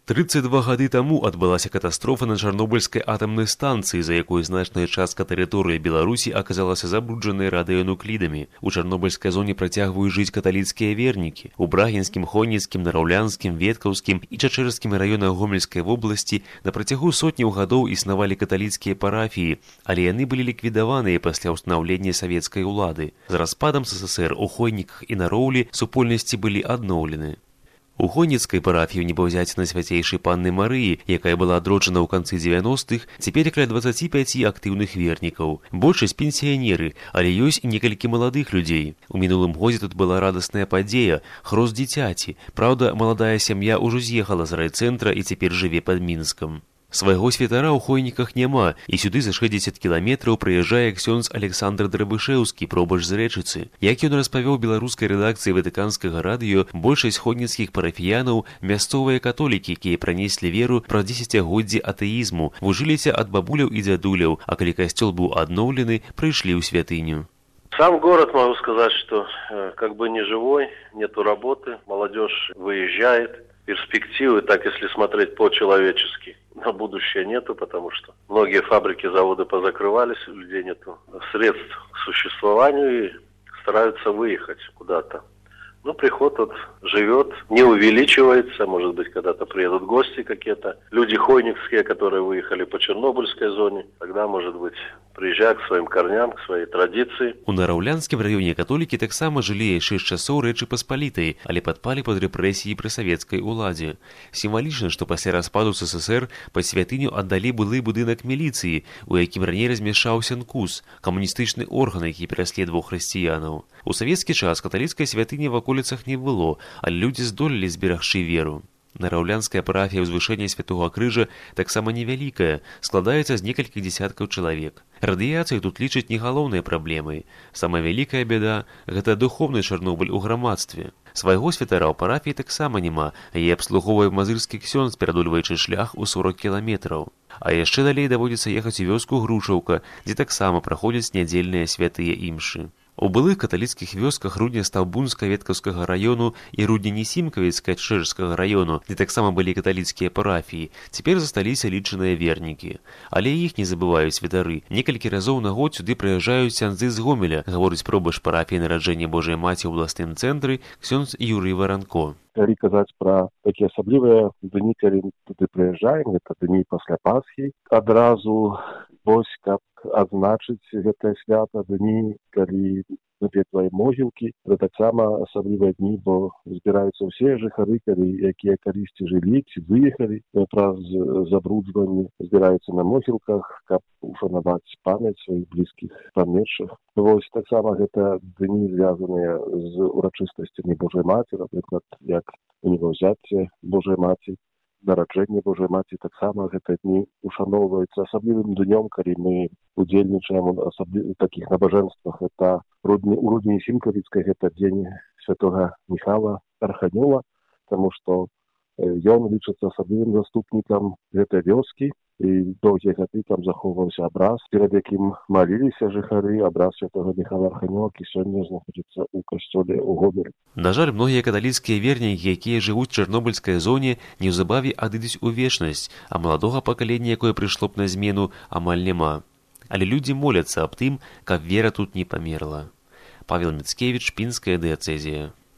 32 гады таму адбылася катастрофа на Чарнобыльскай атамнай станцыі, за якой значная частка тэрыторыі Беларусі аказалася забруджанай радыенуклідамі. У чарнобыльскай зоне працягваюць жыць каталіцкія вернікі. У Брагінскім, Хонніцкім, Нараўлянскім, Веткаўскім і Чачэрскім раёнах Гомельскай вобласці на працягу сотняў гадоў існавалі каталіцкія парафіі, але яны былі ліквідаваныя пасля ўстанаўлення савецкай улады. З распадам СССР у Хойніках і на Роўлі супольнасці былі адноўлены. У Хонніцкай парафію Небаўзяціна Свяцейшай Панны Марыі, якая была адроджана ў канцы 90-х, цяпер каля 25 актыўных вернікаў. Большасць пенсіянеры, але ёсць і некалькі маладых людзей. У мінулым годзе тут была радасная падзея, хрост дзіцяці. Праўда, маладая сям'я ўжо з'ехала з райцэнтра і цяпер жыве пад Мінскам. Свайго святара ў Хойніках няма, і сюды за 60 кіламетраў прыязджае ксёндз Александр Драбышэўскі, пробач з Рэчыцы. Як ён распавёў беларускай рэдакцыі Ватыканскага радыё, большасць хойніцкіх парафіянаў – мясцовыя католікі, якія пранеслі веру праз дзесяцігоддзі атэізму, вужыліся ад бабуляў і дзядуляў, а калі касцёл быў адноўлены, прыйшлі ў святыню. Сам город, могу сказать, что как бы не живой, нету работы, молодежь выезжает, перспективы, так если смотреть по-человечески, на будущее нету, потому что многие фабрики, заводы позакрывались, у людей нету средств к существованию и стараются выехать куда-то. Ну, приход вот живет, не увеличивается, может быть, когда-то приедут гости какие-то, люди хойникские, которые выехали по Чернобыльской зоне, тогда, может быть, приезжают к своим корням, к своей традиции. У Нараўлянскім раёне католікі таксама жылі яшчэ з часоў Рэчы Паспалітай, але падпалі пад рэпрэсіі пры савецкай уладзе. Сімвалічна, што пасля распаду СССР пад святыню аддалі былы будынак міліцыі, у якім раней размяшчаўся НКУС, камуністычны орган, які пераследаваў хрысціянаў. У савецкі час каталіцкай святыні в аколіцах не было, але людзі здолелі зберагчы веру. Нараўлянская парафія ўзвышэння Святога Крыжа таксама невялікая, складаецца з некалькіх дзесяткаў чалавек. Радыяцыю тут лічаць не галоўнай праблемай. Самая вялікая бяда – гэта духоўны Чарнобыль у грамадстве. Свайго святара ў парафіі таксама няма, яе абслугоўвае мазырскі ксёндз, перадольваючы шлях у 40 кіламетраў. А яшчэ далей даводзіцца ехаць у вёску Грушаўка, дзе таксама праходзяць нядзельныя святыя імшы. У былых каталіцкіх вёсках Рудня-Стаўбунска-Веткаўскага раёну і Рудня-Несімкавіцка-Чэжскага раёну, дзе таксама былі каталіцкія парафіі, цяпер засталіся лічаныя вернікі. Але іх не забываюць святары. Некалькі разоў на год сюды прыязджаюць ксяндзы з Гомеля, гаворыць пробач парафіі Нараджэння Божай Маці ў абласным цэнтры ксёндз Юрый Варанко. Калі казаць пра такія асаблівыя дні, калі туды прыязджаем, гэта дні пасля Пасхі, адразу вось каб адзначыць гэтае свята, дні, калі наведваем могілкі, гэта таксама асаблівыя дні, бо збіраюцца ўсе жыхары, якія калісьці жылі ці выехалі праз забруджванне, збіраюцца на могілках, каб ушанаваць памяць сваіх блізкіх памершых. Вось таксама гэта дні звязаныя з урачыстасцямі Божай Маці, напрыклад, як Небаўзяцце Божай Маці, Нараджэнне Божай Маці, таксама гэта дні ушаноўваюцца асаблівым днём, калі мы удзельнічаем у такіх набажэнствах. Это у Рудні-Сімкавіцкай гэта дзень святога Міхала Арханёла, таму што ён лічыцца асаблівым заступнікам гэтай вёскі, і доўгія гады там захоўваўся абраз, перад якім маліліся жыхары, абраз святога Міхала Арханёла, які сёння знаходзіцца ў касцёле ў Гомелі. На жаль, многія каталіцкія вернікі, якія жывуць у Чарнобыльскай зоне, неўзабаве адыдуць у вечнасць, а маладога пакалення, якое прыйшло б на змену, амаль няма. Але людзі моляцца аб тым, каб вера тут не памерла. Павел Міцкевіч, Пінская дыяцэзія.